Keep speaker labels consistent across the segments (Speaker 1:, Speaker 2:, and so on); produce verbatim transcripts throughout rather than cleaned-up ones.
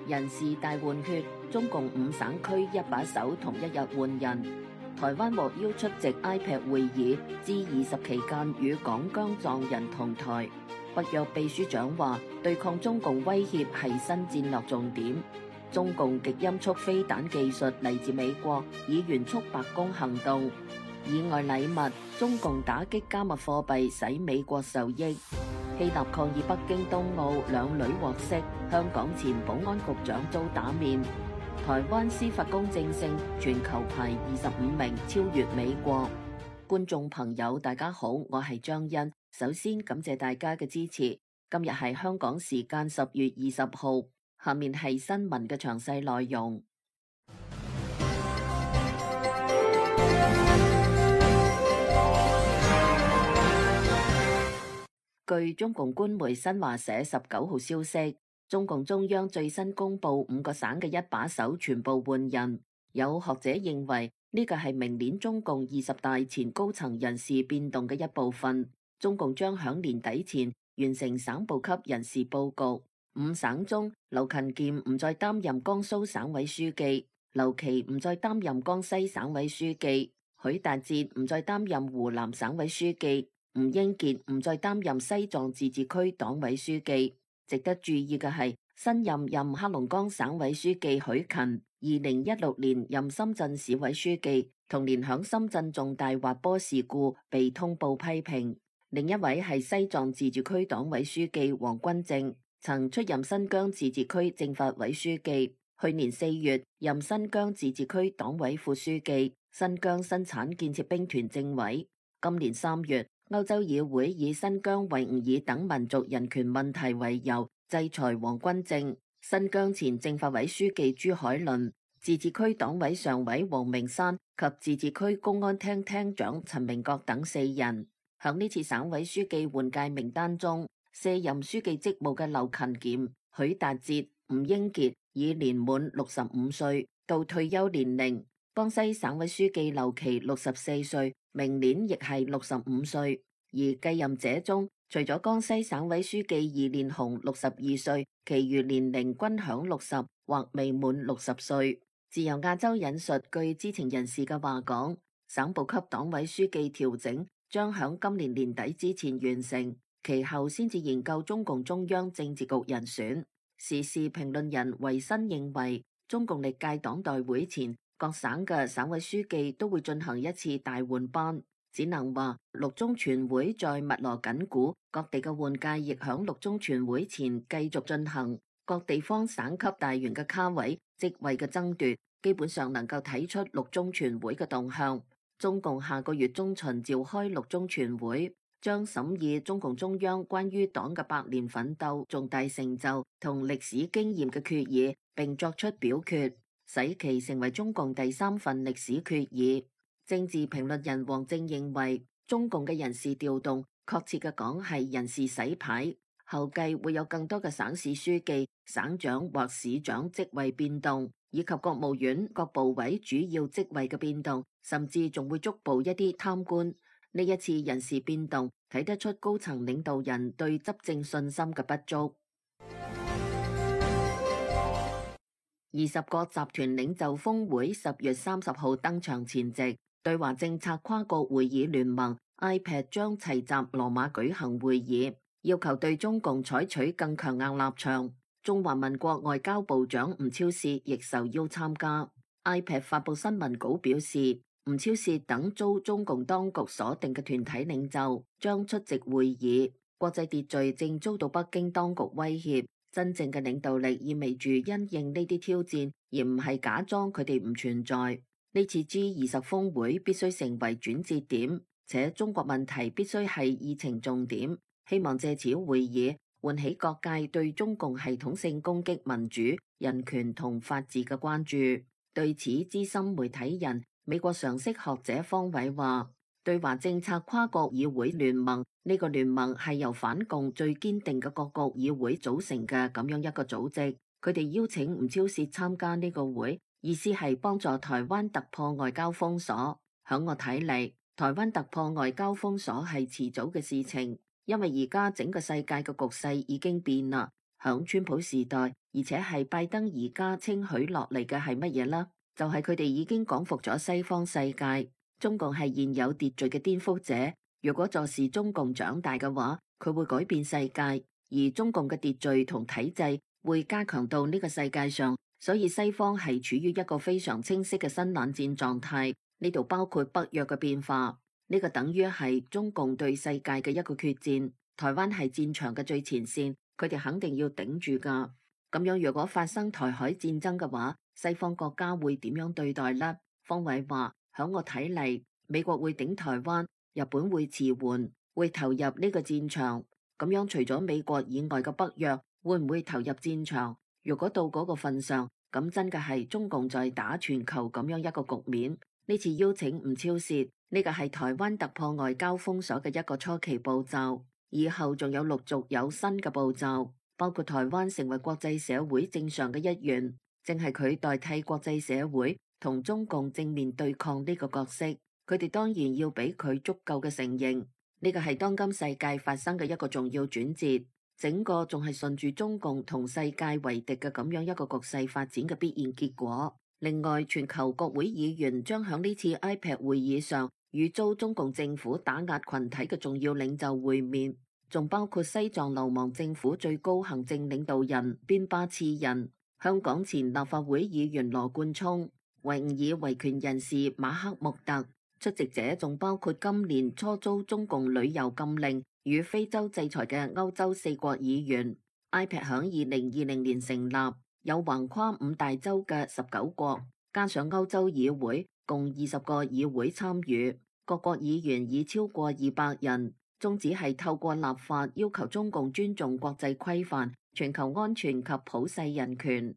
Speaker 1: 人事大換血，中共五省區一把手同一日換人。台灣獲邀出席 I P E C 會議，G 二十期間與港疆藏人同台。北約秘書長話，對抗中共威脅係新戰略重點。中共極音速飛彈技術嚟自美國，以援促白宮行動。以外禮物，中共打擊加密貨幣使美國受益。希臘抗議北京冬奧兩女獲釋，香港前保安局長遭打面。台灣司法公正性全球排二十五名，超越美國。觀眾朋友大家好，我係張欣，首先感謝大家嘅支持。今日係香港時間十月二十號，下面係新聞嘅詳細內容。據中共官媒新華社十九號消息，中共中央最新公布五個省嘅一把手全部換人。有學者認為呢個係明年中共二十大前高層人事變動嘅一部分。中共將響年底前完成省部級人事佈局。五省中，劉勤儉唔再擔任江蘇省委書記，劉奇唔再擔任江西省委書記，許達哲唔再擔任湖南省委書記，吳英傑唔再擔任西藏自治區黨委書記。值得注意嘅係，新任任黑龍江省委書記許勤，二零一六年任深圳市委書記，同年響深圳重大滑坡事故被通報批評。另一位係西藏自治區黨委書記王君正，曾出任新疆自治區政法委書記，去年四月任新疆自治區黨委副書記、新疆生產建設兵團政委。今年三月，歐洲議會以新疆維吾爾等民族人權問題為由，制裁王君正、新疆前政法委書記朱海倫、自治區黨委常委黃明山及自治區公安廳廳長陳明國等四人。響呢次省委書記換屆名單中，卸任書記職務嘅劉勤儉、許達哲、吳英傑已年滿六十五歲到退休年齡。江西省委書記劉奇六十四歲，明年亦係六十五歲。而繼任者中，除咗江西省委書記易煉紅六十二歲，其餘年齡均享六十或未滿六十歲。自由亞洲引述據知情人士嘅話講，省部級黨委書記調整將響今年年底之前完成，其後先至研究中共中央政治局人選。時事評論人維新認為，中共歷屆黨代會前，各省嘅省委書記都會進行一次大換班，只能話六中全會在密鑼緊鼓，各地嘅換屆亦響六中全會前繼續進行。各地方省級大員嘅卡位、職位嘅爭奪，基本上能夠睇出六中全會嘅動向。中共下個月中旬召開六中全會，將審議中共中央關於黨嘅百年奮鬥重大成就同歷史經驗嘅決議，並作出表決，使其成為中共第三份歷史決議。政治評論人王正認為，中共嘅人事調動，確切嘅講係人事洗牌，後繼會有更多嘅省市書記、省長或市長職位變動，以及國務院各部委主要職位嘅變動，甚至仲會捉捕一啲貪官。呢一次人事變動，睇得出高層領導人對執政信心嘅不足。二十國集團領袖峰會十月三十號登場前夕，對華政策跨國會議聯盟 I P E C 將齊集羅馬舉行會議，要求對中共採取更強硬立場。中華民國外交部長吳釗燮亦受邀參加。I P E C 發布新聞稿表示，吳釗燮等遭中共當局鎖定嘅團體領袖將出席會議。國際秩序正遭到北京當局威脅，真正嘅領導力意味住因應呢啲挑戰，而唔係假裝佢哋唔存在。呢次 G 二十峰會必須成為轉折點，且中國問題必須係議程重點。希望借此會議喚起各界對中共系統性攻擊民主、人權同法治嘅關注。對此，資深媒體人美國常識學者方偉話，對華政策跨國議會聯盟，呢個聯盟係由反共最堅定嘅各國議會組成嘅咁樣一個組織。佢哋邀請吳釗燮參加呢個會，意思係幫助台灣突破外交封鎖。響我睇嚟，台灣突破外交封鎖係遲早嘅事情，因為而家整個世界嘅局勢已經變啦。響川普時代，而且係拜登而家稱許落嚟嘅係乜嘢啦？就係佢哋已經講服咗西方世界，中共係現有秩序嘅顛覆者。如果坐視中共長大嘅話，佢會改變世界，而中共嘅秩序同體制會加強到呢個世界上。所以西方係處於一個非常清晰嘅新冷戰狀態，呢度包括北約嘅變化，呢個等於係中共對世界嘅一個決戰。台灣係戰場嘅最前線，佢哋肯定要頂住㗎。咁樣如果發生台海戰爭嘅話，西方國家會點樣對待呢？方偉話：響我睇嚟，美國會頂台灣，日本會遲緩，會投入呢個戰場。咁樣除咗美國以外嘅北約會唔會投入戰場？如果到嗰個份上，咁真嘅係中共在打全球咁樣一個局面。呢次邀請吳釗燮，呢個係台灣突破外交封鎖嘅一個初期步驟，以後仲有陸續有新嘅步驟，包括台灣成為國際社會正常嘅一員，正係佢代替國際社會同中共正面對抗呢個角色。佢哋當然要俾佢足夠嘅承認，呢個係當今世界發生嘅一個重要轉折。整個仲係順住中共同世界為敵嘅咁樣一個局勢發展嘅必然結果。另外，全球國會議員將響呢次 I P E C 會議上與遭中共政府打壓群體嘅重要領袖會面，仲包括西藏流亡政府最高行政領導人邊巴次仁、香港前立法會議員羅冠聰、維吾爾維權人士馬克穆特。出席者仲包括今年初遭中共旅遊禁令與非洲制裁嘅歐洲四國議員。I P E C 響二零二零年成立，有橫跨五大洲嘅十九國，加上歐洲議會，共二十個議會參與。各國議員已超過二百人，宗旨係透過立法要求中共尊重國際規範、全球安全及普世人權。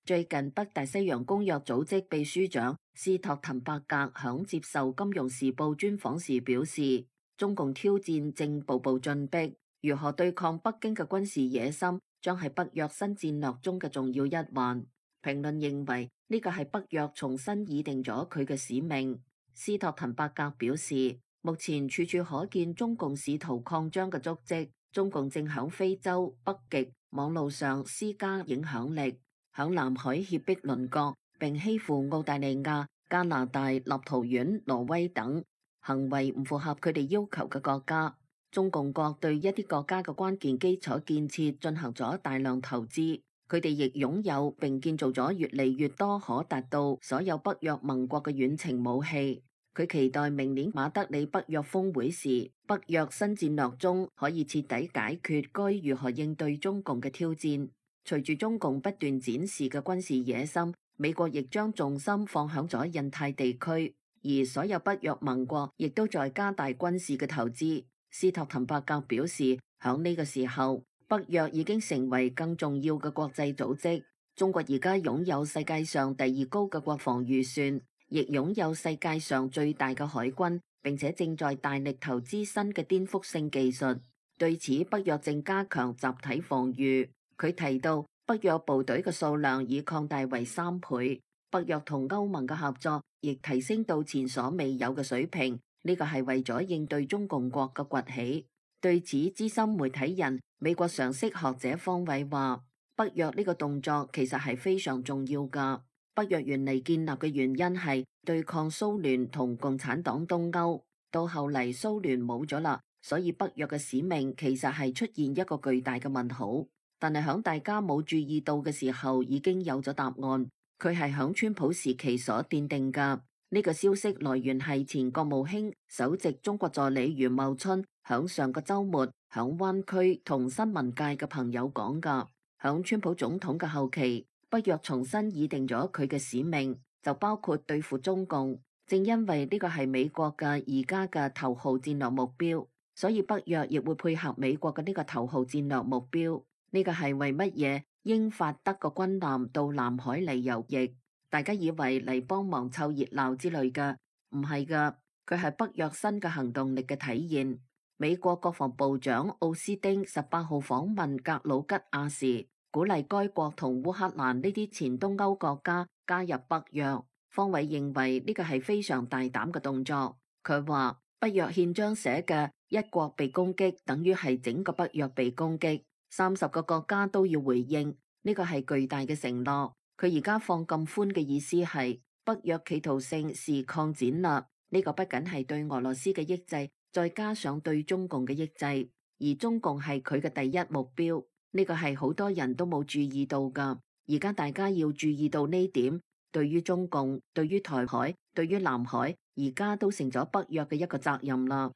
Speaker 1: 最近，北大西洋公約組織秘書長斯托滕伯格響接受《金融時報》專訪時表示，中共挑戰正步步進逼，如何對抗北京嘅軍事野心，將係北約新戰略中嘅重要一環。評論認為呢個係北約重新擬定咗佢嘅使命。斯托滕伯格表示，目前處處可見中共試圖擴張嘅足跡，中共正響非洲、北極網路上施加影響力。響南海脅迫鄰國，並欺負澳大利亞、加拿大、立陶宛、挪威等行為唔符合佢哋要求嘅國家。中共國對一啲國家嘅關鍵基礎建設進行咗大量投資，佢哋亦擁有並建造咗越嚟越多可達到所有北約盟國嘅遠程武器。佢期待明年馬德里北約峰會時，北約新戰略中可以徹底解決該如何應對中共嘅挑戰。隨住中共不斷展示嘅軍事野心，美國亦將重心放響咗印太地區，而所有北約盟國亦都在加大軍事嘅投資。斯托滕伯格表示，響呢個時候，北約已經成為更重要嘅國際組織。中國而家擁有世界上第二高嘅國防預算，亦擁有世界上最大嘅海軍，並且正在大力投資新嘅顛覆性技術。對此，北約正加強集體防禦。佢提到，北約部隊嘅數量已擴大為三倍，北約同歐盟嘅合作亦提升到前所未有嘅水平。呢個係為咗應對中共國嘅崛起。對此，資深媒體人、美國常識學者方偉話：北約呢個動作其實係非常重要㗎。北約原嚟建立嘅原因係對抗蘇聯同共產黨東歐，到後嚟蘇聯冇咗啦，所以北約嘅使命其實係出現一個巨大嘅問號。但係響大家冇注意到嘅時候，已經有咗答案。佢係響川普時期所奠定㗎。呢個消息來源係前國務卿首席中國助理余茂春響上個週末響灣區同新聞界嘅朋友講㗎。響川普總統嘅後期，北約重新擬定咗佢嘅使命，就包括對付中共。正因為呢個係美國嘅而家嘅頭號戰略目標，所以北約亦會配合美國嘅呢個頭號戰略目標。呢個係為乜嘢？英法德個軍艦到南海嚟游弋，大家以為嚟幫忙湊熱鬧之類嘅，唔係㗎，佢係北約新嘅行動力嘅體現。美國國防部長奧斯汀十八號訪問格魯吉亞時，鼓勵該國同烏克蘭呢啲前東歐國家加入北約。方偉認為呢個係非常大膽嘅動作。佢話北約憲章寫嘅一國被攻擊，等於係整個北約被攻擊，三十個國家都要回應，呢個係巨大嘅承諾。佢而家放咁寬嘅意思係北約企圖性是擴展啦，呢個不僅係對俄羅斯嘅抑制，再加上對中共嘅抑制，而中共係佢嘅第一目標，呢個係好多人都冇注意到噶。而家大家要注意到呢點，對於中共、對於台海、對於南海，而家都成咗北約嘅一個責任啦。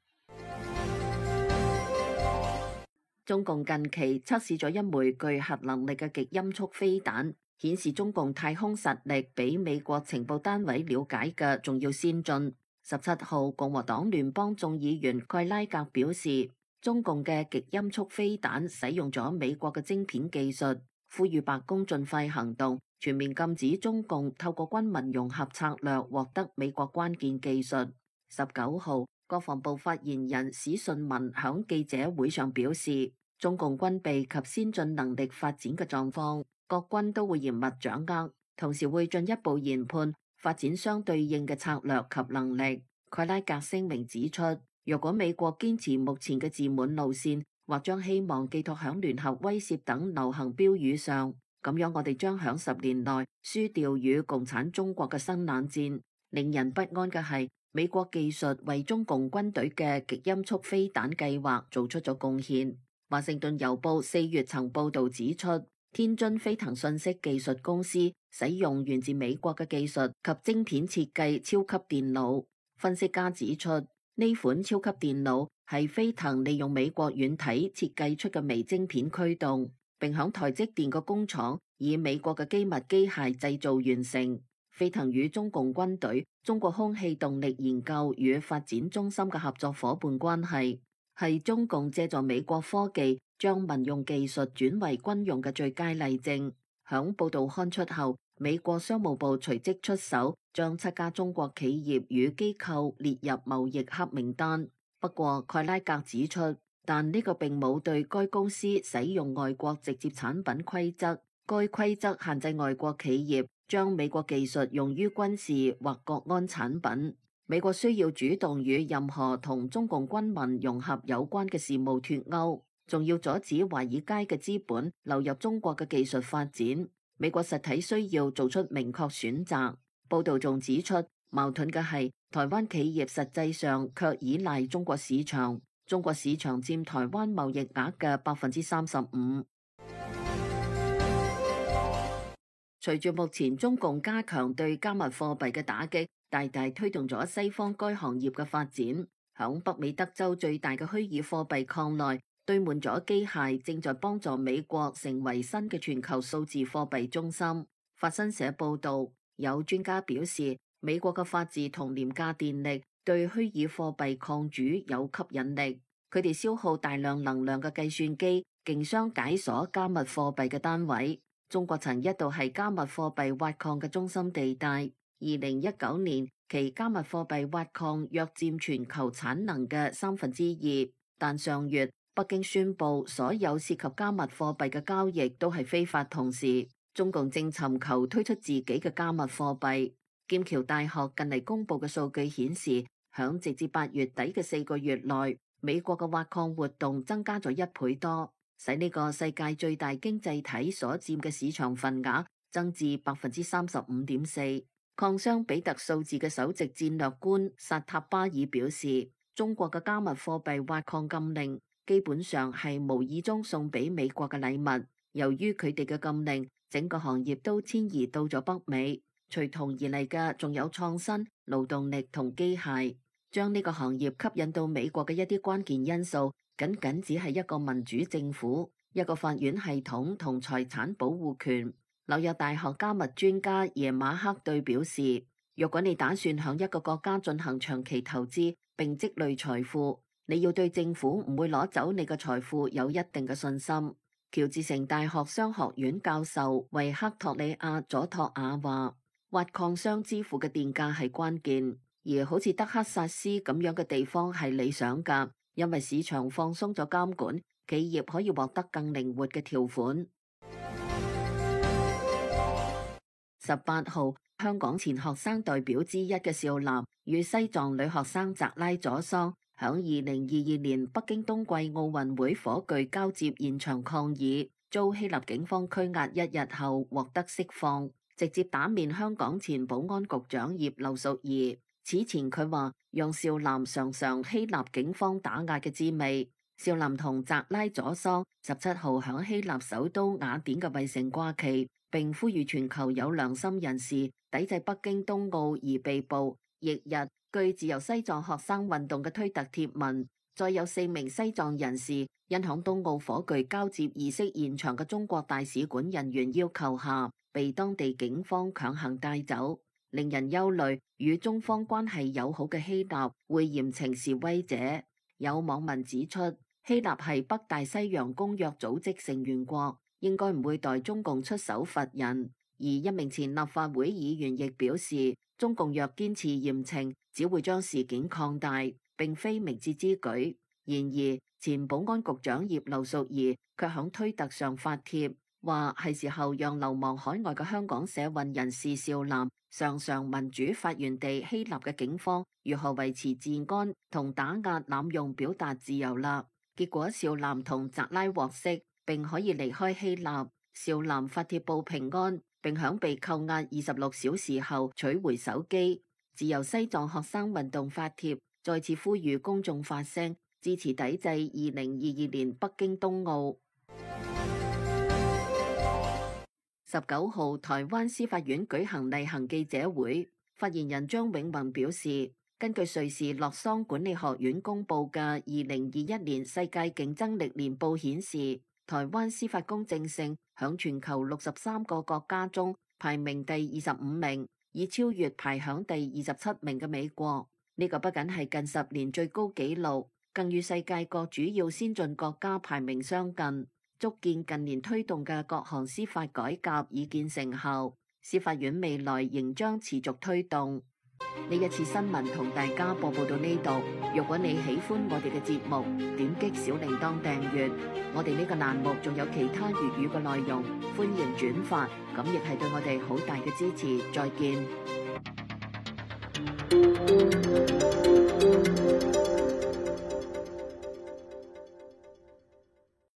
Speaker 1: 中共近期測試咗一枚具核能力嘅極音速飛彈，顯示中共太空實力比美國情報單位了解嘅仲要先進。十七號，共和黨聯邦眾議員蓋拉格表示，中共嘅極音速飛彈使用咗美國嘅晶片技術，呼籲白宮盡快行動，全面禁止中共透過軍民融合策略獲得美國關鍵技術。十九號，國防部發言人史順文響記者會上表示，中共軍備及先進能力發展嘅狀況，各軍都會嚴密掌握，同時會進一步研判發展相對應嘅策略及能力。蓋拉格聲明指出，若果美國堅持目前嘅自滿路線，或將希望寄託響聯合威懾等流行標語上，咁樣我哋將響十年內輸掉與共產中國嘅新冷戰。令人不安嘅係，美國技術為中共軍隊嘅極音速飛彈計劃做出咗貢獻。華盛頓郵報四月曾報道指出，天津飛騰信息技術公司使用源自美國嘅技術及晶片設計超級電腦。分析家指出，呢款超級電腦係飛騰利用美國軟體設計出嘅微晶片驅動，並響台積電個工廠以美國嘅機密機械製造完成。飛騰與中共軍隊、中國空氣動力研究與發展中心嘅合作夥伴關係，係中共借助美國科技將民用技術轉為軍用嘅最佳例證。響報道刊出後，美國商務部隨即出手，將七家中國企業與機構列入貿易黑名單。不過蓋拉格指出，但呢個並冇對該公司使用外國直接產品規則，該規則限制外國企業將美國技術用於軍事或國安產品。美國需要主動與任何同中共軍民融合有關嘅事務脫鈎，仲要阻止華爾街嘅資本流入中國嘅技術發展。美國實體需要做出明確選擇。報道仲指出，矛盾嘅係台灣企業實際上卻依賴中國市場，中國市場佔台灣貿易額嘅百分之三十五。隨住目前中共加強對加密貨幣嘅打擊，大大推動咗西方該行業嘅發展。響北美德州最大嘅虛擬貨幣礦內堆滿咗機械，正在幫助美國成為新嘅全球數字貨幣中心。法新社報道，有專家表示，美國嘅法治同廉價電力對虛擬貨幣礦主有吸引力。佢哋消耗大量能量嘅計算機，競相解鎖加密貨幣嘅單位。中國曾一度係加密貨幣挖礦嘅中心地帶。二零一九年，其加密貨幣挖礦約佔全球產能嘅三分之二。但上月，北京宣布所有涉及加密貨幣嘅交易都係非法，同時中共正尋求推出自己嘅加密貨幣。劍橋大學近嚟公布嘅數據顯示，響直至八月底嘅四個月內，美國嘅挖礦活動增加咗一倍多，使呢個世界最大經濟體所佔嘅市場份額增至百分之三十五點四。礦商比特數字嘅首席戰略官薩塔巴爾表示，中國嘅加密貨幣挖礦禁令基本上係無意中送俾美國嘅禮物。由於佢哋嘅禁令，整個行業都遷移到咗北美，隨同而嚟嘅仲有創新、勞動力同機械。將呢個行業吸引到美國嘅一啲關鍵因素，僅僅只係一個民主政府、一個法院系統同財產保護權。紐約大學加密專家耶馬克對表示，若果你打算向一個國家進行長期投資並積累財富，你要對政府唔會攞走你嘅財富有一定嘅信心。喬治城大學商學院教授維克托里亞佐托亞話，挖礦商支付嘅電價係關鍵，而好似德克薩斯咁樣嘅地方係理想㗎，因為市場放鬆咗監管，企業可以獲得更靈活嘅條款。十八號，香港前學生代表之一嘅少男與西藏女學生扎拉佐桑響二零二二年北京冬季奧運會火炬交接現場抗議，遭希臘警方拘押一日後獲得釋放，直接打面香港前保安局長葉劉淑儀。此前佢話讓少男嘗嘗希臘警方打壓嘅滋味。少男同扎拉佐桑十七號響希臘首都雅典嘅衛城掛旗，並呼籲全球有良心人士抵制北京冬奧而被捕。翌日，據自由西藏學生運動嘅推特貼文，再有四名西藏人士因響冬奧火炬交接儀式現場嘅中國大使館人員要求下，被當地警方強行帶走，令人憂慮。與中方關係友好嘅希臘會嚴懲示威者。有網民指出，希臘係北大西洋公約組織成員國，應該唔會代中共出手罰人。而一名前立法會議員亦表示，中共若堅持嚴懲，只會將事件擴大，並非明智之舉。然而，前保安局長葉劉淑儀卻響推特上發帖，話係時候讓流亡海外嘅香港社運人士少男嘗嘗民主發源地希臘嘅警方如何維持治安同打壓濫用表達自由啦。結果少男同扎拉獲釋，並可以離開希臘。少男發帖報平安，並響被扣押二十六小時後取回手機。自由西藏學生運動發帖，再次呼籲公眾發聲，支持抵制二零二二年北京冬奧。十九號，台灣司法院舉行例行記者會，發言人張永宏表示，根據瑞士洛桑管理學院公布嘅二零二一年世界競爭力年報顯示，台灣司法公正性響全球六十三個國家中排名第二十五名，已超越排響第二十七名嘅美國。呢、這個不僅係近十年最高紀錄，更與世界各主要先進國家排名相近，足見近年推動嘅各項司法改革已見成效。司法院未來仍將持續推動。呢一次新聞同大家播報到呢度。如果你喜歡我哋嘅節目，點擊小鈴鐺訂閱。我哋呢個欄目仲有其他粵語嘅內容，歡迎轉發，咁亦係對我哋好大嘅支持。再見。